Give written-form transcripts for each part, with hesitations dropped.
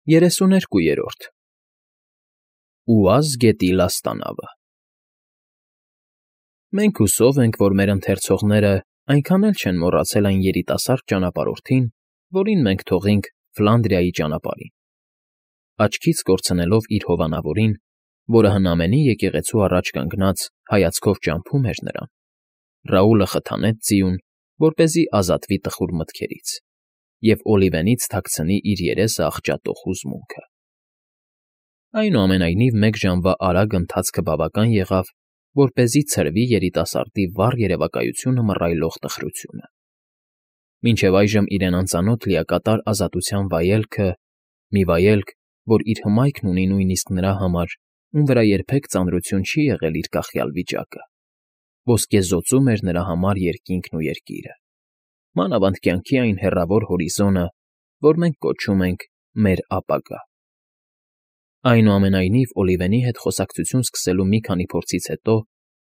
32-րդ Ուազ գետի լաստանավը Մենք հուսով ենք, որ մեր ընթերցողները այնքան էլ չեն մոռացել այն երիտասարդ ճանապարհորդին, որին մենք թողինք Ֆլանդրիայի ճանապարհին, աչքից կորցնելով իր հովանավորին, որը հնամենի եկեղեցու առաջ կանգնած հայացքով ճամփում էր նրան, Ռաուլը խթանեց ձիուն, որպեսզի ազատվի տխուր մտքերից, և Օլիվենից թաքցնի իր երեսը աղճատող հուզմունքը։ Այնուամենայնիվ մեկ ժամվա արագ ընթացքը բավական եղավ, որպեսզի ցրվի երիտասարդի վառ երևակայությունը մռայլող տխրությունը։ Մինչև այժմ իրեն անծանոթ լիակատար ազատության վայելքը, մի վայելք, որ իր հմայքն ունի նույնիսկ նրա համար, ում վրա երբեք ծանրություն չի եղել իր կախյալ վիճակը, ոսկեզօծում էր նրա համար երկինքն ու երկիրը, մանավանդ կյանքի այն հեռավոր հորիզոնը, որ մենք կոչում ենք մեր ապագա։ Այնուամենայնիվ Օլիվենի հետ խոսակցություն սկսելու մի քանի փորձից հետո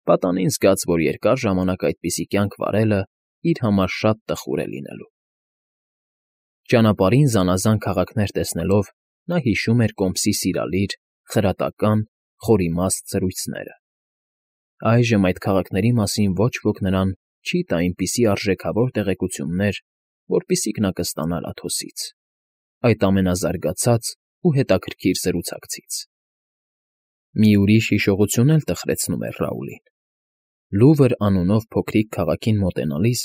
պատանին զգաց, որ երկար ժամանակ այդպիսի կյանք վարելը իր համար շատ տխուր է լինելու։ Ճանապարհին զանազան քաղաքներ տեսնելով նա հիշում էր կոմսի սիրալիր, խրատական, խորիմաստ զրույցները։ Այժմ այդ քաղաքների մասին ոչ ոք նրան չի տա այնպիսի արժեքավոր տեղեկություններ, որպիսիք նա կստանար Աթոսից, այդ ամենազարգացած ու հետաքրքիր զրուցակցից։ Մի ուրիշ հիշողություն էլ տխրեցնում էր Ռաուլին։ Լուվր անունով փոքրիկ քաղաքին մոտենալիս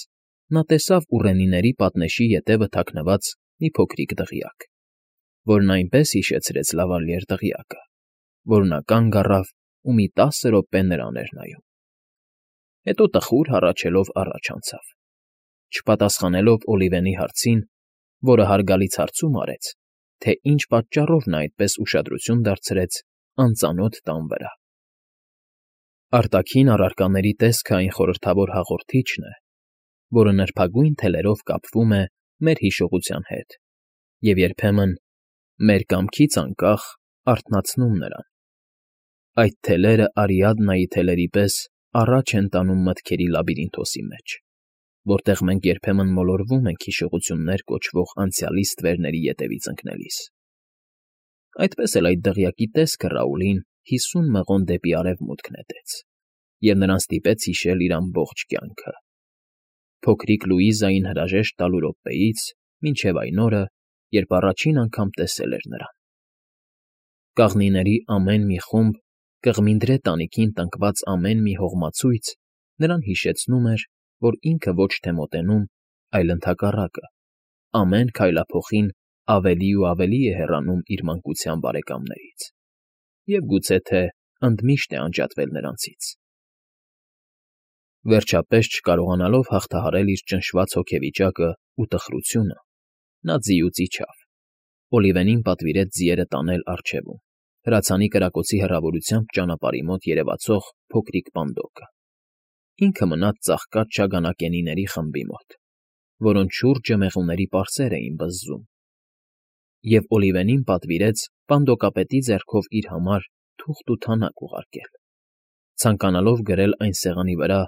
նա տեսավ ուռենիների պատնեշի ետևը թաքնված մի փոքրիկ դղյակ, որն այնպես հիշեցրեց լավալիեր դղյակը, որ նա կանգ առավ ու մի 10 րոպե նրան էր նայում։ Հետո տխուր հառաչելով առաջ անցավ, չպատասխանելով Օլիվենի հարցին, որը հարգալից հարցում արեց, թե ինչ պատճառով նա այդպես ուշադրություն դարձրեց անծանոթ տան վրա։ Արտաքին առարկաների տեսքը այն խորհրդավոր հաղորդիչն է, որը նրբագույն թելերով կապվում է մեր հիշողության հետ և երբեմն, մեր կամքից անկախ, արթնացնում նրան։ Այդ թելերը Արիադնայի թելերի պես առաջ են տանում մտքերի լաբիրինթոսի մեջ, որտեղ մենք երբեմն մոլորվում ենք հիշողություններ կոչվող անցյալի ստվերների ետևից ընկնելիս։ Այդպես էլ այդ դղյակի տեսքը Ռաուլին 50 մղոն դեպի արևմուտք նետեց, և նրան ստիպեց հիշել իր ամբողջ կյանքը, փոքրիկ Լուիզային հրաժեշտ տալու րոպեից մինչև այն օրը, երբ առաջին անգամ տեսել էր նրան։ Կաղնիների ամեն մի խումբ, կղմինդրե տանիքին տնկված ամեն մի հողմացույց նրան հիշեցնում էր, որ ինքը ոչ թե մոտենում, այլ ընդհակառակը, ամեն քայլափոխին ավելի ու ավելի է հեռանում իր մանկության բարեկամներից և գուցե թե ընդմիշտ է անջատվել նրանցից։ Վերջապես, չկարողանալով հաղթահարել իր ճնշված հոգեվիճակն ու տխրությունը, նա ձիուց իջավ, Օլիվենին պատվիրեց ձիերը տանել առջևում, հրացանի կրակոցի հեռավորությամբ ճանապարհի մոտ երևացող փոքրիկ պանդոկը։ Ինքը մնաց ծաղկած շագանակենիների խմբի մոտ, որոնց շուրջը մեղուների պարսեր էին բզզում, և Օլիվենին պատվիրեց պանդոկապետի ձեռքով իր համար թուղթ ու թանակ ուղարկել, ցանկանալով գրել այն սեղանի վրա,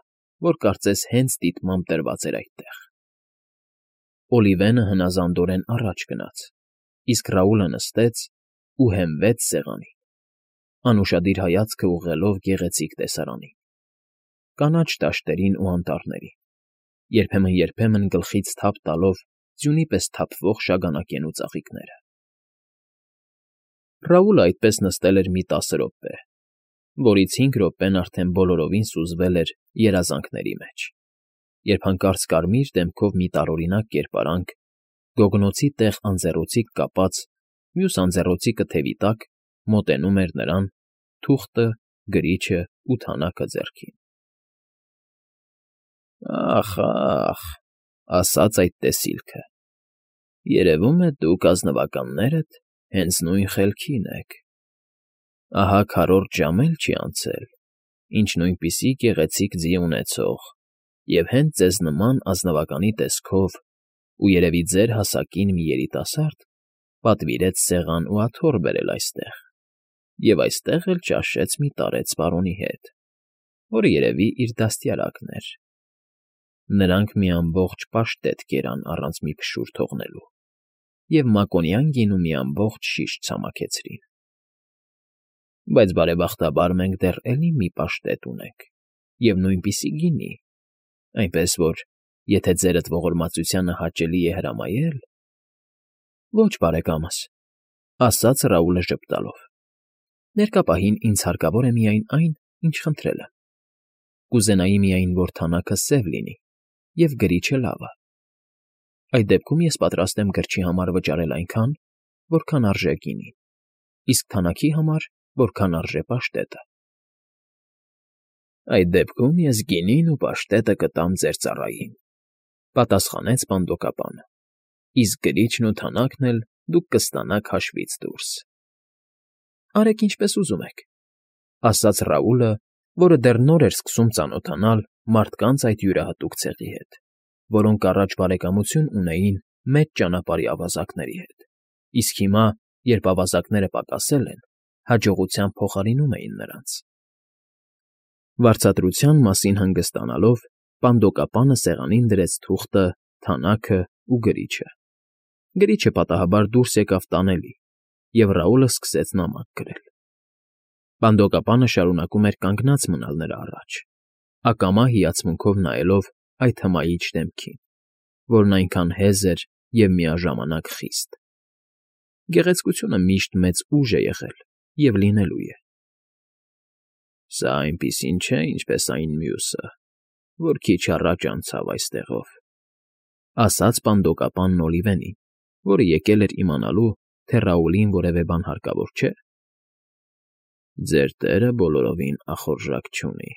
որ կարծես հենց դիտմամբ դրված էր այդտեղ։ Օլիվենը հնազանդորեն առաջ գնաց, իսկ Ռաուլը նստեց ու հենվեց սեղանին, անուշադիր հայացքը ուղղելով գեղեցիկ տեսարանին, կանաչ դաշտերին ու անտառներին, երբեմն գլխից թափ տալով ձյունի պես թափվող շագանակենու ծաղիկները։ Ռաուլը այդպես նստել էր մի 10 րոպե, որից 5 րոպեն արդեն բոլորովին սուզվել էր երազանքների մեջ, երբ հանկարծ կարմիր դեմքով մի տարօրինակ կերպարանք, գոգնոցի տեղ անձեռոցիկ կապած, մյուս անձեռոցիկը թևի տակ, մոտենում էր նրան, թուղթը, գրիչը ու թանակը ձեռքին։ Ախ, ասաց այդ տեսիլքը, երևում է դուք ազնվականներդ հենց նույն խելքին եք։ Ահա քառորդ ժամ էլ չի անցել, ինչ նույնպիսի գեղեցիկ ձի ունեցող և հենց ձեզ նման ազնվականի տեսքով ու երևի ձեր հասակին մի երիտասարդ պատվիրեց սեղան ու աթոռ բերել այստեղ և այստեղ էլ ճաշեց մի տարեց պարոնի հետ, որը երևի իր դաստիարակն էր։ Նրանք մի ամբողջ պաշտետ կերան առանց մի փշուր թողնելու, և մակոնյան գինու մի ամբողջ շիշ ցամաքեցրին։ Բայց բարեբախտաբար մենք դեռ էլի մի պաշտետ ունենք և նույնպիսի գինի, այնպես որ, եթե ձերդ ողորմածությանը հաճելի է հրամայել… ֊ Ոչ, բարեկամս,֊ ասաց Ռաուլը ժպտալով,֊ ներկա պահին ինձ հարկավոր է միայն այն, ինչ խնդրել եմ. կուզենայի միայն, որ թանաքը սև լինի և գրիչը լավը։ Այդ դեպքում ես պատրաստ եմ գրչի համար վճարել այնքան, որքան արժե գինին, իսկ թանաքի համար, որքան արժե պաշտետը։ ֊ Այդ դեպքում ես գինին ու պաշտետը կտամ ձեր ծառային,֊ պատասխանեց պանդոկապանը,֊ իսկ գրիչն ու թանաքն էլ դուք կստանաք հաշվից դուրս։ ֊ Արեք ինչպես ուզում եք,֊ ասաց Ռաուլը, որը դեռ նոր էր սկսում ծանոթանալ մարդկանց այդ յուրահատուկ ցեղի հետ, որոնք առաջ բարեկամություն ունեին մեծ ճանապարհի ավազակների հետ, իսկ հիմա, երբ ավազակները պակասել են, հաջողությամբ փոխարինում էին նրանց։ Վարձատրության մասին հանգստանալով, պանդոկապանը սեղանին դրեց թուղթը, թանաքն ու գրիչը։ Գրիչը պատահաբար դուրս եկավ տանելի, և Ռաուլը սկսեց նամակ գրել։ Պանդոկապանը շարունակում էր կանգնած մնալ նրա առաջ, ակամա հիացմունքով նայելով այդ հմայիչ դեմքին, որն այնքան հեզ էր և միաժամանակ խիստ։ Գեղեցկությունը միշտ մեծ ուժ է եղել և լինելու է։ «Սա այնպիսին չէ, ինչպես այն մյուսը, որ քիչ առաջ անցավ այստեղով,֊ ասաց պանդոկապանն Օլիվենին, որը եկել էր իմանալու, թե Ռաուլին որևէ բան հարկավոր չէ։ Ձեր տերը բոլորովին ախորժակ չունի։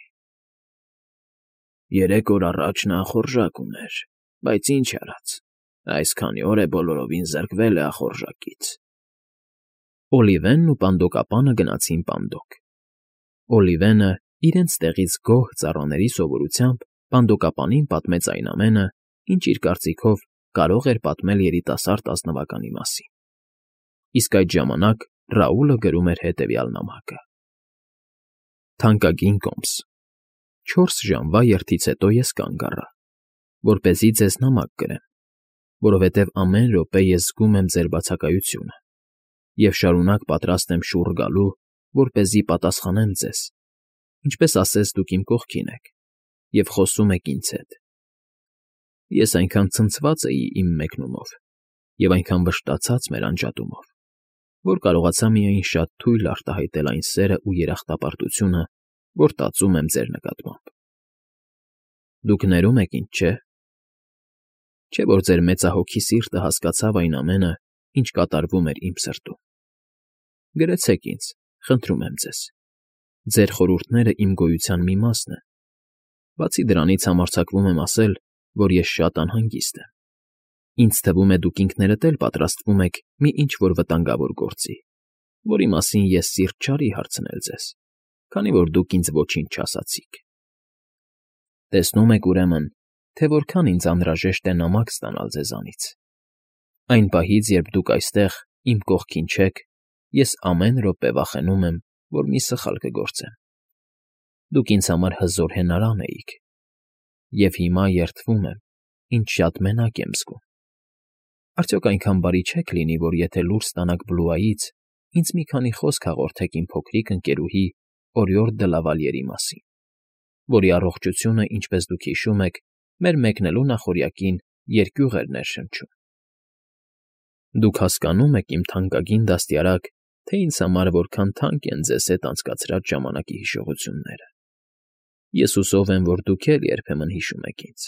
Երեք օր առաջ նա ախորժակ ուներ, բայց ինչ արած, այս քանի օր է բոլորովին զրկվել է ախորժակից»։ Օլիվենն ու պանդոկապանը գնացին պանդոկ։ Օլիվենը իրենց տեղից գոհ ծառաների սովորությամբ պանդոկապանին պատմեց այն ամենը, ինչ իր կարծիքով կարող էր պատմել երիտասարդ ազնվականի մասին։ Իսկ այդ ժամանակ Ռաուլը գրում էր հետևյալ նամակը. «Թանկագին կոմս, 4 ժամվա երթից հետո ես կանգ առա, որպեսզի ձեզ նամակ գրեմ, որովհետև ամեն րոպե ես զգում եմ ձեր բացակայությունը և շարունակ պատրաստ եմ շուռ գալու, որպեսզի պատասխանեմ ձեզ, ինչպես ասես դուք իմ կողքին եք և խոսում եք ինձ հետ։ Ես այնքան ցնցված էի իմ մեկնումով և այնքան վշտացած մեր անջատումով, որ կարողացա միայն շատ թույլ արտահայտել այն սերն ու երախտապարտությունը, որ տածում եմ ձեր նկատմամբ։ Դուք ներում եք ինձ, չէ՞։ Չէ՞ որ ձեր մեծահոգի սիրտը հասկացավ այն ամենը, ինչ կատարվում էր իմ սրտում։ Գրեցեք ինձ, խնդրում եմ ձեզ։ Ձեր խորհուրդները իմ գոյության մի մասն են։ Բացի դրանից համարձակվում եմ ասել, որ ես շատ անհանգիստ եմ։ Ինձ թվում է, դուք ինքներդ էլ պատրաստվում եք մի ինչ֊որ վտանգավոր գործի, որի մասին ես սիրտ չարի հարցնել ձեզ, քանի որ դուք ինձ ոչինչ չասացիք։ Տեսնում եք, ուրեմն, թե որքան ինձ անհրաժեշտ է նամակ ստանալ ձեզանից։ Այն պահից, երբ դուք այստեղ իմ կողքին չեք, ես ամեն րոպե վախենում եմ, որ մի սխալ կգործեմ։ Դուք ինձ համար հզոր հենարան էիք, և հիմա երդվում եմ, ինչ շատ մենակ եմ զգում։ Արդյոք այնքան բարի չեք լինի, որ եթե լուր ստանաք Բլուայից, ինձ մի քանի խոսք հաղորդեք իմ փոքրիկ ընկերուհի Օրիորդ դը Լավալիերի մասին, որի առողջությունը, ինչպես դուք հիշում եք, մեր մեկնելու նախօրյակին երկյուղ էր ներշնչում։ Դուք հասկանում եք, իմ թանկագին դաստիարակ, թե ինձ համար որքան թանկ են ձեզ հետ անցկացրած ժամանակի հիշողությունները։ Ես հուսով եմ, որ դուք էլ երբեմն հիշում եք ինձ,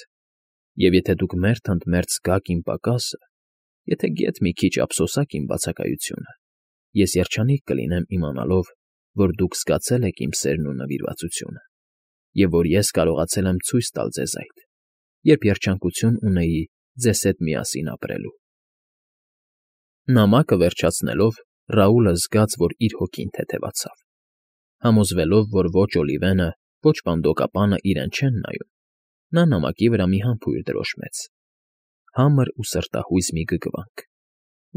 և եթե դուք մերթ ընդ մերթ զգաք իմ պակասը, եթե գեթ մի քիչ ափսոսաք իմ բացակայությունը, ես երջանիկ կլինեմ իմանալով, որ դուք զգացել եք իմ սերն ու նվիրվածությունը, և որ ես կարողացել եմ ցույց տալ ձեզ այդ, երբ երջանկություն ունեի ձեզ հետ միասին ապրելու»։ Նամակը վերջացնելով, Ռաուլը զգաց, որ իր հոգին թեթևացավ։ Համոզվելով, որ ոչ Օլիվենը, ոչ պանդոկապանը իրեն չեն նայում, նա նամակի վրա մի համբույր դրոշմեց, համր ու սրտահույզ մի գգվանք,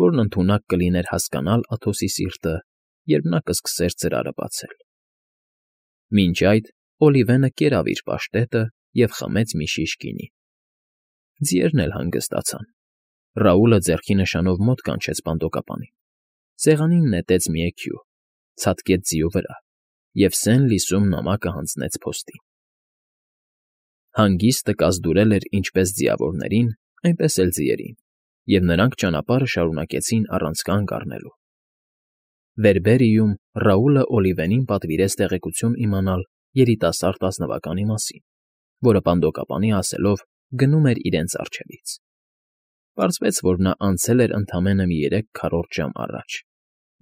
որն ընդունակ կլիներ հասկանալ Աթոսի սիրտը, երբ նա կսկսեր ծրարը բացել։ Մինչ այդ Օլիվենը կերավ իր պաշտետը և խմեց մի շիշ գինի։ Ձիերն էլ հանգստացան, Ռաուլը ձեռքի նշանով մոտ կանչեց պանդոկապանին, սեղանին նետեց մի էքյու, ցատկեց ձիու վրա և սեն լիսում նամակը հանձնեց փոստին։ Հանգիստը կազդուրել էր ինչպես ձիավորներին, այնպես էլ ձիերին, և նրանք ճանապարհը շարունակեցին առանց կանգ առնելու։ Վերբերիում Ռաուլը Օլիվենին պատվիրեց տեղեկություն իմանալ երիտասարդ ազնվականի մասին, որը պանդոկապանի ասելով գնում էր իրենց առջևից։ Պարզվեց, որ նա անցել էր ընդամենը մի 3 ժամ առաջ,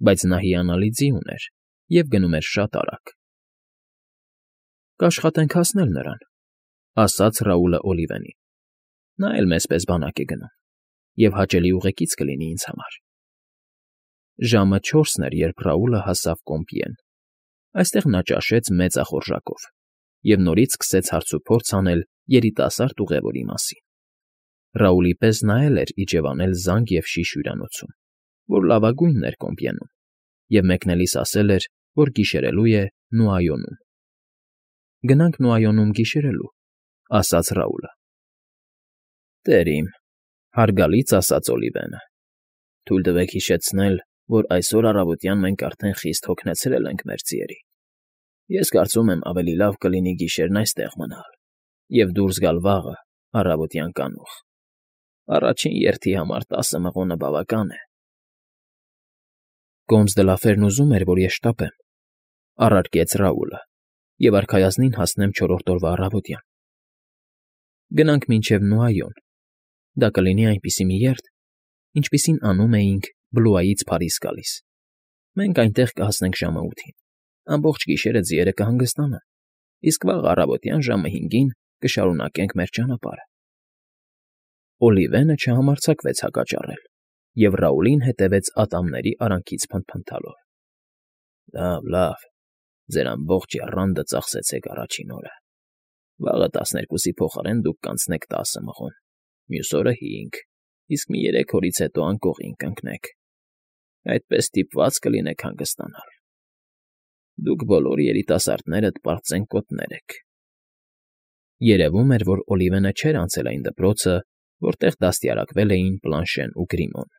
բայց նա հիանալի ձի ուներ և գնում էր շատ արագ։ «Կաշխատենք հասնել նրան», ասաց Ռաուլը Օլիվենին։ «Նա էլ մեզ պես բանակ է գնում, և հաճելի ուղեկից կլինի ինձ համար»։ Ժամը 4-ն էր, երբ Ռաուլը հասավ Կոմպիեն։ Այստեղ նա ճաշեց մեծ ախորժակով և նորից սկսեց հարցուփորձ անել երիտասարդ ուղևորի մասին։ Ռաուլի պես նա էլ էր իջևանել Զանգ և Շիշ հյուրանոցում, որ լավագույնն էր Կոմպիենում, և մեկնելիս ասել էր, որ գիշերելու է Նուայոնում։ «Գնանք Նուայոնում գիշերելու», ասաց Ռաուլը։ «Տեր իմ», հարգալից ասաց Օլիվենը, «թույլ տվեք հիշեցնել, որ այսօր առավոտյան մենք արդեն խիստ հոգնեցրել ենք մեր ձիերին։ Ես կարծում եմ, ավելի լավ կլինի գիշերն այստեղ մնալ և դուրս գալ վաղը առավոտյան կանուխ։ Առաջին երթի համար 10 մղոնը բավական է»։ «Կոմս դը Լաֆերն ուզում էր, որ ես շտապեմ», առարկեց Ռաուլը, «և արքայազնին հասնեմ 4-րդ օրվա առավոտյան։ Գնանք մինչև Նուայոն. դա կլինի այնպիսի մի երթ, ինչպիսին անում էինք Բլուայից Փարիզ գալիս։ Մենք այնտեղ կհասնենք ժամը 8-ին, ամբողջ գիշերը ձիերը կհանգստանան, իսկ վաղ առավոտյան ժամը 5-ին կշարունակենք մեր ճանապարհը»։ Օլիվենը չհամարձակվեց հակաճառել, և Ռաուլին հետևեց ատամների արանքից փնթփնթալով։ «Լավ, ձեր ամբողջ եռանդը ծախսեցեք առաջին օրը։ Վաղը 12-ի փոխարեն դուք կանցնեք 10 մղոն, մյուս օրը 5, իսկ մի 3 օրից հետո անկողին կընկնեք։ Այդպես ստիպված կլինեք հանգստանալ։ Դուք բոլոր երիտասարդներդ պարծեն կոտներ եք»։ Երևում էր, որ Օլիվենը չէր անցել այն դպրոցը, որտեղ դաստիարակվել էին Պլանշեն ու Գրիմոն։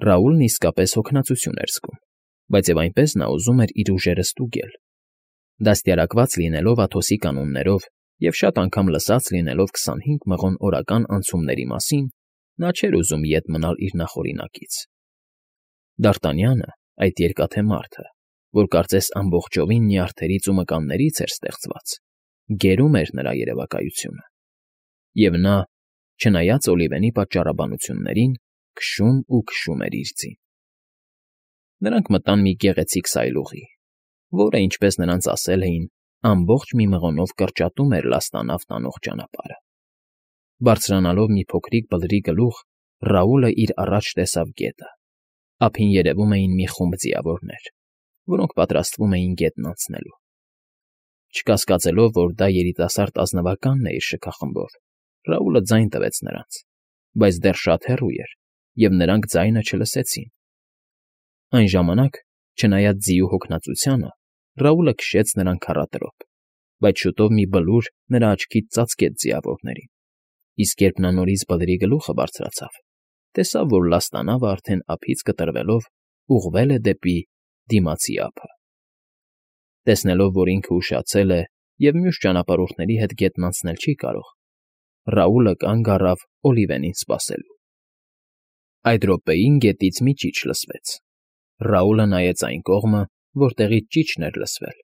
Ռաուլն իսկապես հոգնածություն էր զգում, բայց և այնպես նա ուզում էր իր ուժերը ստուգել։ Դաստիարակված լինելով Աթոսի կանոններով և շատ անգամ լսած լինելով 25 մղոն օրական անցումների մասին, նա չէր ուզում ետ մնալ իր նախօրինակից։ Դ'Արտանյանը, այդ երկաթե մարդը, որ կարծես ամբողջովին նյարդերից ու մկաններից էր ստեղծված, գերում էր նրա երևակայությունը։ Եվ նա, չնայած Օլիվենի պատճառաբանություններին, քշում ու քշում էր իր ձին։ Նրանք մտան մի գեղեցիկ սայլուղի, որը, ինչպես նրանց ասել էին, ամբողջ մի մղոնով կրճատում էր լաստանավ տանող ճանապարհը։ Բարձրանալով մի փոքրիկ բլրի գլուխ, Ռաուլը իր առաջ տեսավ գետը։ Ափին երևում էին մի խումբ ձիավորներ, որոնք պատրաստվում էին գետն անցնելու։ Չկասկածելով, որ դա երիտասարդ ազնվականն է իր շքախմբով, Ռաուլը ձայն տվեց նրանց, բայց դեռ շատ հեռու էր, և նրանք ձայնը չլսեցին։ Այն ժամանակ, չնայած ձիու հոգնածությանը, Ռաուլը քշեց նրան քառատրոփ, բայց շուտով մի բլուր նրա աչքից ծածկեց ձիավորներին, իսկ երբ նա նորից բլրի գլուխը բարձրացավ, տեսավ, որ լաստանավը արդեն ափից կտրվելով ուղղվել է դեպի դիմացի ափը։ Տեսնելով, որ ինքը ուշացել է և մյուս ճանապարհորդների հետ գետն անցնել չի կարող, Ռաուլը կանգ առավ Օլիվենին սպասելու։ Այդ րոպեին գետից մի ճիչ լսվեց։ Ռաուլը նայեց այն կողմը, որտեղից ճիչն էր լսվել,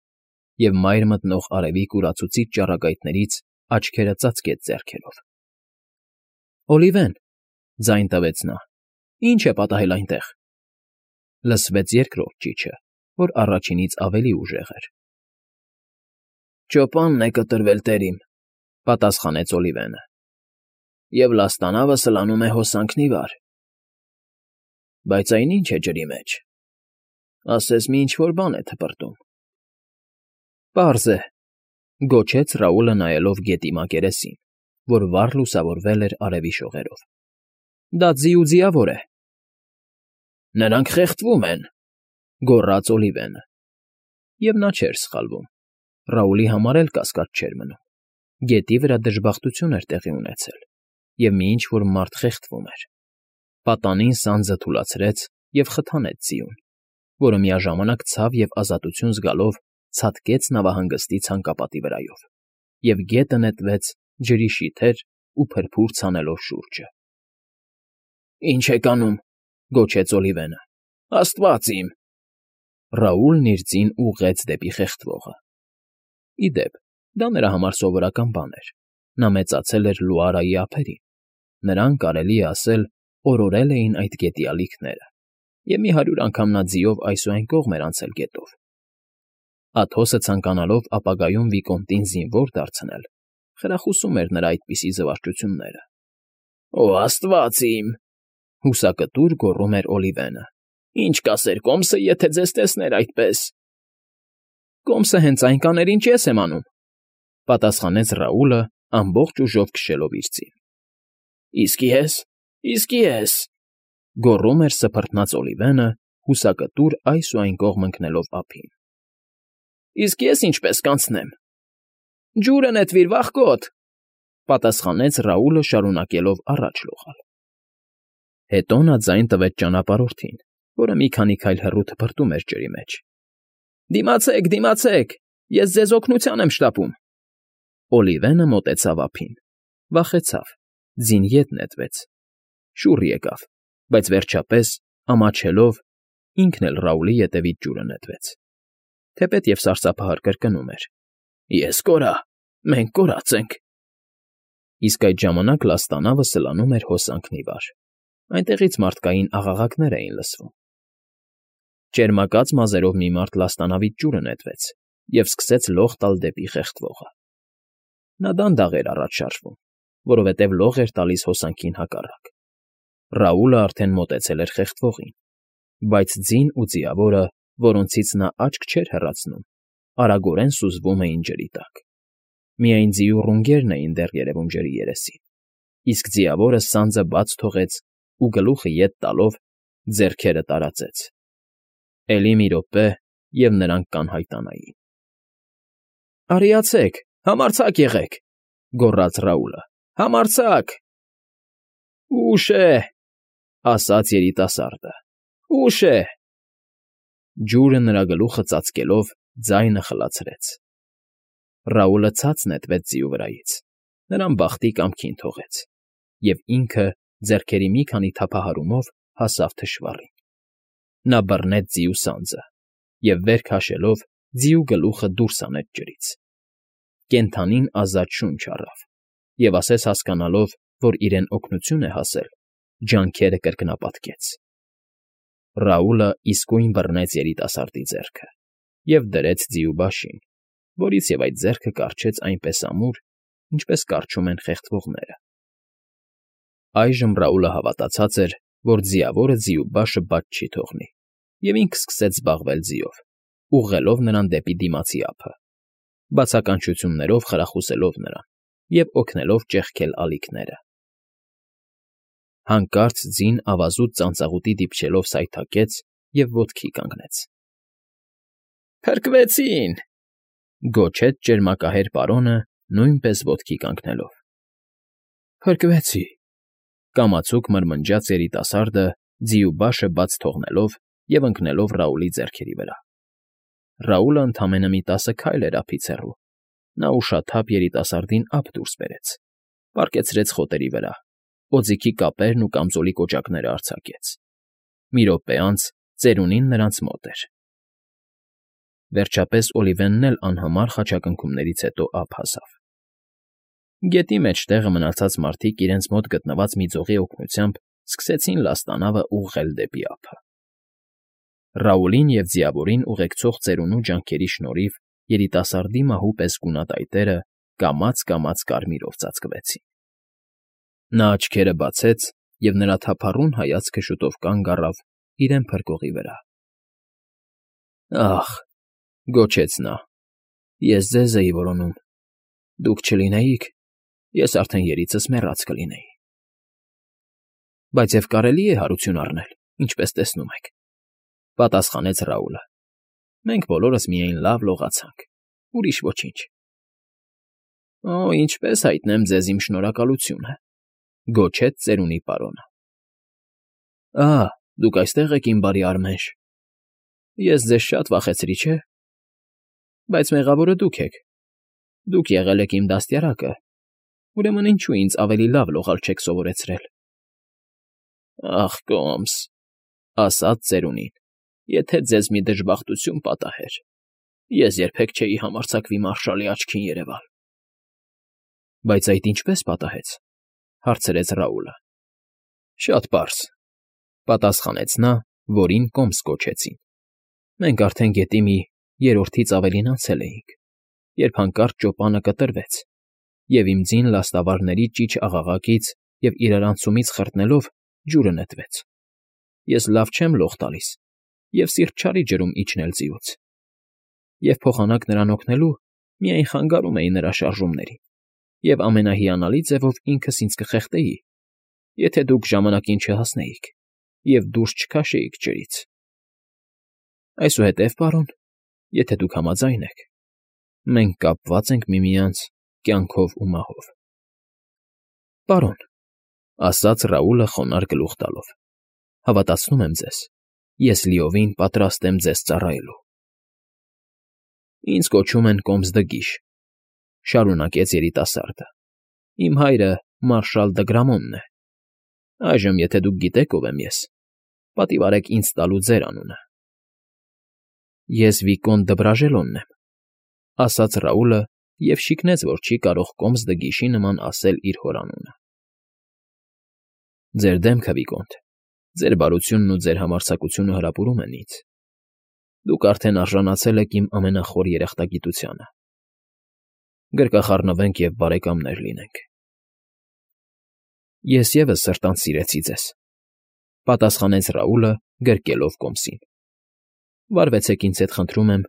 և մայր մտնող արևի կուրացուցիչ ճառագայթներից աչքերը ծածկեց ձեռքերով։ «Օլիվեն», ձայն տվեց նա, «ի՞նչ է պատահել այնտեղ»։ Լսվեց երկրորդ ճիչը, որ առաջինից ավելի ուժեղ էր։ «Ճոպանն է կտրվել, տեր իմ», պատասխանեց Օլիվենը, «և լաստանավը սլանում է հոսանքն ի վար»։ «Բայց այն ի՞նչ է ջրի մեջ։ Ասես մի ինչ֊որ բան է թպրտում»։ «Պարզ է», գոչեց Ռաուլը նայելով գետի մակերեսին, որ վառ լուսավորվել էր արևի շողերով։ «Դա ձի ու ձիավոր է»։ «Նրանք խեղդվում են», գոռաց Օլիվենը։ Եվ նա չէր սխալվում։ Ռաուլի համար էլ կասկած չէր մնում։ Գետի վրա դժբախտություն էր տեղի ունեցել։ և մի ինչ֊որ մարդ խեղդվում էր։ Պատանին սանձը թուլացրեց և խթանեց ձիուն, որը միաժամանակ ցավ և ազատություն զգալով ցատկեց նավահանգստի ցանկապատի վրայով և գետը նետվեց ջրի շիթեր ու փրփուր ցանելով շուրջը։ ֊ Ի՞նչ եք անում,֊ գոչեց Օլիվենը։ Աստվա՜ծ իմ… Ռաուլն իր ձին ուղղեց դեպի խեղդվողը։ Ի դեպ, դա նրա համար սովորական բան էր. նա մեծացել էր Լուարայի ափերին, նրան, կարելի է ասել, օրորել էին այդ գետի ալիքները, և մի 100 անգամ նա ձիով այս ու այն կողմ էր անցել գետով։ Աթոսը ցանկանալով ապագայում Վիկոմտին զինվոր դարձնել, խրախուսում էր նրա այդպիսի զվարճությունները։ ֊ Օ աստվա՜ծ իմ,֊ հուսակտուր գոռում էր Օլիվենը։ Ինչ կասեր կոմսը, եթե ձեզ տեսներ այդպես։ ֊ Կոմսը հենց այն կաներ, ինչ ես եմ անում,֊ պատասխանեց Ռաուլը, ամբողջ ուժով քշելով իր ձին։ Իսկ ես,֊ գոռում էր սփռտնաց Օլիվենը, հուսակտուր այս ու այն կողմ ընկնելով ափին։ Իսկ ես ինչպես կանցնեմ։ Ջուրը նետվիր, վախկոտ,֊ պատասխանեց Ռաուլը, շարունակելով առաջ լողալ։ Հետո նա ձայն տվեց ճանապարհորդին, որը մի քանի քայլ հեռու թփրտում էր ջրի մեջ։ Դիմացեք, դիմացեք, ես ձեզ օգնության եմ շտապում։ Օլիվենը մոտեցավ ափին, վախեցավ, ձին ետ նետվեց, շուռ եկավ, բայց վերջապես, ամաչելով, ինքն էլ Ռաուլի ետևից ջուրը նետվեց, թեպետ և սարսափահար կրկնում էր. Ես կորա, մենք կորած ենք… Իսկ այդ ժամանակ լաստանավը սլանում էր հոսանքն ի վար, այնտեղից մարդկային աղաղակներ էին լսվում։ Ճերմակած մազերով մի մարդ լաստանավից ջուրը նետվեց և սկսեց լող տալ դեպի խեղդվողը։ Նա դանդաղ էր առաջ շարժվում, որովհետև լող էր տալիս հոսանքին հակառակ։ Ռաուլը արդեն մոտեցել էր խեղդվողին, բայց ձին ու ձիավորը, որոնցից նա աչք չէր հեռացնում, արագորեն սուզվում էին ջրի տակ։ Միայն ձիու ռունգերն էին դեռ երևում ջրի երեսին, իսկ ձիավորը սանձը բաց թողեց ու գլուխը ետ տալով ձեռքերը տարածեց։ Էլի մի րոպե, և նրանք կանհայտանային։ Արիացեք, համարձակ եղեք,֊ գոռաց Ռաուլը։֊ Համարձակ… Ուշ է,֊ ասաց երիտասարդը։֊ Ուշ է… Ջուրը նրա գլուխը ծածկելով ձայնը խլացրեց։ Ռաուլը ցած նետվեց ձիու վրայից, նրան բախտի կամքին թողեց, և ինքը ձեռքերի մի քանի թափահարումով հասավ թշվառին։ Նա բռնեց ձիու սանձը և, վեր քաշելով, ձիու գլուխը դուրս հանեց ջրից։ Կենդանին ազատ շունչ առավ և, ասես հասկանալով, որ իրեն օգնություն է հասել, ջանքերը կրկնապատկեց։ Ռաուլը իսկույն բռնեց երիտասարդի ձեռքը և դրեց ձիու բաշին, որից և այդ ձեռքը կառչեց այնպես ամուր, ինչպես կառչում են խեղդվողները։ Այժմ Ռաուլը հավատացած էր, որ ձիավորը ձիու բաշը բաց չի թողնի, և ինքը սկսեց զբաղվել ձիով, ուղղելով նրան դեպի դիմացի ափը, բացականչություններով խրախուսելով նրան և օգնելով ճեղքել ալիքները։ Հանկարծ ձին ավազուտ ծանծաղուտի դիպչելով սայթաքեց և ոտքի կանգնեց։ Փրկվեցին,֊ գոչեց ճերմակահեր պարոնը, նույնպես ոտքի կանգնելով։ Փրկվեցի,֊ կամացուկ մրմնջաց երիտասարդը, ձիու բաշը բաց թողնելով և ընկնելով Ռաուլի ձեռքերի վրա։ Ռաուլը ընդամենը մի 10 քայլ էր ափից հեռու։ Նա ուշաթափ երիտասարդին ափ դուրս բերեց, պառկեցրեց խոտերի վրա, օձիքի կապերն ու կամզոլի կոճակները արձակեց։ Մի րոպե անց ծերունին նրանց մոտ էր։ Վերջապես Օլիվենն էլ անհամար խաչակնքումներից հետո ափ հասավ։ Գետի մեջտեղը մնացած մարդիկ իրենց մոտ գտնված մի ձողի օգնությամբ սկսեցին լաստանավը ուղղել դեպի ափը։ Ռաուլին և ձիավորին ուղեկցող ծերունու ջանքերի շնորհիվ երիտասարդի մահու պես գունատ այտերը կամաց֊կամաց կարմիրով ծածկվեցին։ Նա աչքերը բացեց, և նրա թափառուն հայացքը շուտով կանգ առավ իրեն փրկողի վրա։ Ախ,֊ գոչեց նա,֊ ես ձեզ էի որոնում, դուք չլինեիք, ես արդեն երիցս մեռած կլինեի։ Բայց և կարելի է հարություն առնել, ինչպես տեսնում եք,֊ պատասխանեց Ռաուլը։ Մենք բոլորս միայն լավ լողացանք, ուրիշ ոչինչ։ Օ, ինչպես հայտնեմ ձեզ իմ շնորհակալությունը։ Գոչեց ծերունի պարոնը։ Ահա, դուք այստեղ եք, իմ բարի Արմենշ։ Ես ձեզ շատ վախեցրի, չէ՞։ Բայց մեղավորը դուք եք։ Դուք եղել եք իմ դաստիարակը, ուրեմն ինչու ինձ ավելի լավ լողալ չեք սովորեցրել։ Ախ, Կոմս, ասաց ծերունին, եթե ձեզ մի դժբախտություն պատահեր, ես երբեք չէի համարձակվի մարշալի աչքին երևալ։ Բայց այդ ինչպես պատահեց, հարցրեց Ռաուլը։ Շատ պարզ, պատասխանեց նա, որին Կոմս կոչեցին։ Մենք արդեն գետի մի երրորդից ավելին անցել էինք, երբ հանկարծ ճոպանը կտրվեց, և իմ ձին լաստավարների ճիչ աղաղակից և իրարանցումից խրտնելով ջուրը նետվեց։ Ես լավ չեմ լող տալիս և սիրտ չարի ջրում իջնել ձիուց։ Եվ փոխանակ նրան օգնելու միայն խանգարում էի նրա շարժումներին և ամենահիանալի ձևով ինքս ինձ կխեղդեի, եթե դուք ժամանակին չհասնեիք և դուրս չքաշեիք ջրից։ Այսուհետև, պարոն, եթե դուք համաձայն եք, մենք կապված ենք միմյանց կյանքով ու մահով։ Պարոն, ասաց Ռաուլը խոնարհ գլուխ տալով, հավատացնում եմ ձեզ, ես լիովին պատրաստ եմ ձեզ ծառայելու։ Ինձ կոչում են Կոմս դգիշ, շարունակեց երիտասարդը։ Իմ հայրը մարշալ Դգրամոնն է։ Այժմ, եթե դուք գիտեք ով եմ ես, պատիվ արեք ինձ տալու ձեր անունը։ Ես Վիկոնտ Դբրաժելոնն եմ, ասաց Ռաուլը և շիկնեց, որ չի կարող Կոմս դգիշի նման ասել իր հոր անունը։ Ձեր դեմքը, Վիկոնտ, ձեր բարությունն ու ձեր համարձակությունը հրապուրում են ինձ։ Դուք արդեն արժանացել եք իմ ամենախոր երախտագիտությանը։ Գրկախառնվենք և բարեկամներ լինենք։ Ես ևս սրտանց սիրեցի ձեզ, պատասխանեց Ռաուլը գրկելով Կոմսին։ Վարվեցեք ինձ հետ, խնդրում եմ,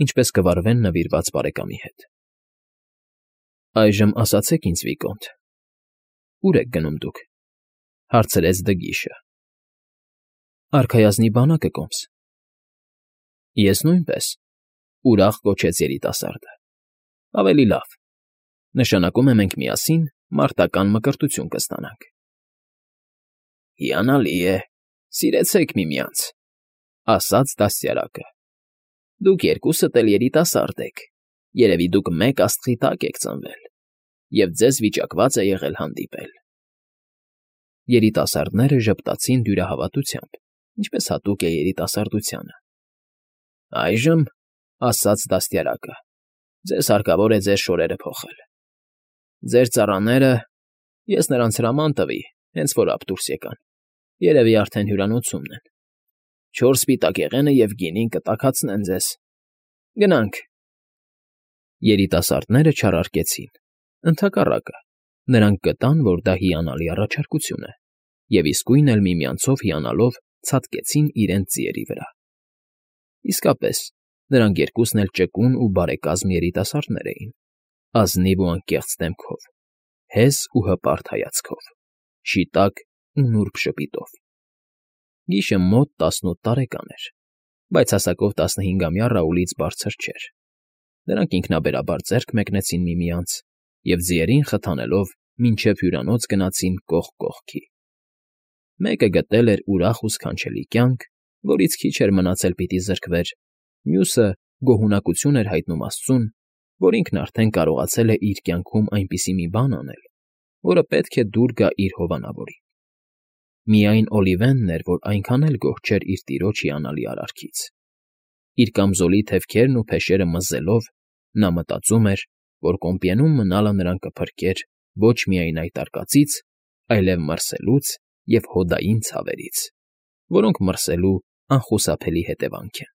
ինչպես կվարվեն նվիրված բարեկամի հետ։ Այժմ ասացեք ինձ, Վիկոնտ, ուր եք գնում դուք, հարցրեց դգիշը։ Արքայազնի բանակը, Կոմս։ Ես նույնպես, ուրախ կոչեց երիտասարդը։ Ավելի լավ, նշանակում է մենք միասին մարտական մկրտություն կստանանք։ Հիանալի է, սիրեցեք միմյանց, ասաց դաստիարակը։ Դուք երկուսդ էլ երիտասարդ եք, երևի դուք մեկ աստղի տակ եք ծնվել, և ձեզ վիճակված է եղել հանդիպել։ Երիտասարդները ժպտացին դյուրահավատությամբ, ինչպես հատուկ է երիտասարդությանը։ Այժմ, ասաց դաստիարակը, ձեզ հարկավոր է ձեր շորերը փոխել։ Ձեր ծառաները, ես նրանց հրաման տվի, հենց որ ապ դուրս եկան, երևի արդեն հյուրանոցումն են։ 4 սպիտակ եղենը և գինին կտաքացնեն ձեզ։ Գնանք։ Երիտասարդները չարարկեցին, ընդհակառակը, նրանք գտան, որ դա հիանալի առաջարկություն է, և իսկույն էլ միմյանցով հիանալով ցատկեցին իրենց ձիերի վրա։ Իսկապես, նրանք երկուսն էլ ճկուն ու բարեկազմ երիտասարդներ էին, ազնիվ ու անկեղծ դեմքով, հեզ ու հպարտ հայացքով, շիտակ ու նուրբ ժպիտով։ Գիշը մոտ 18 տարեկան էր, բայց հասակով 15-ամյա Ռաուլից բարձր չէր։ Նրանք ինքնաբերաբար ձեռք մեկնեցին միմյանց և ձիերին խթանելով մինչև հյուրանոց գնացին կողք կողքի։ Մեկը գտել էր ուրախ ու սքանչելի կյանք, որից քիչ էր մնացել պիտի զրկվեր, մյուսը գոհունակություն էր հայտնում Աստծուն, որ ինքն արդեն կարողացել է իր կյանքում այնպիսի մի բան անել, որը պետք է դուր գա իր հովանավորին։ Միայն Օլիվենն էր, որ այնքան էլ գոհ չէր իր տիրոջ հիանալի արարքից։ Իր կամզոլի թևքերն ու փեշերը մզելով, նա մտածում էր, որ Կոմպիենում մնալը նրան կփրկեր ոչ միայն այդ արկածից, այլև մրսելուց և հոդային ցավերից, որոնք մրսելու անխուսափելի հետևանք են։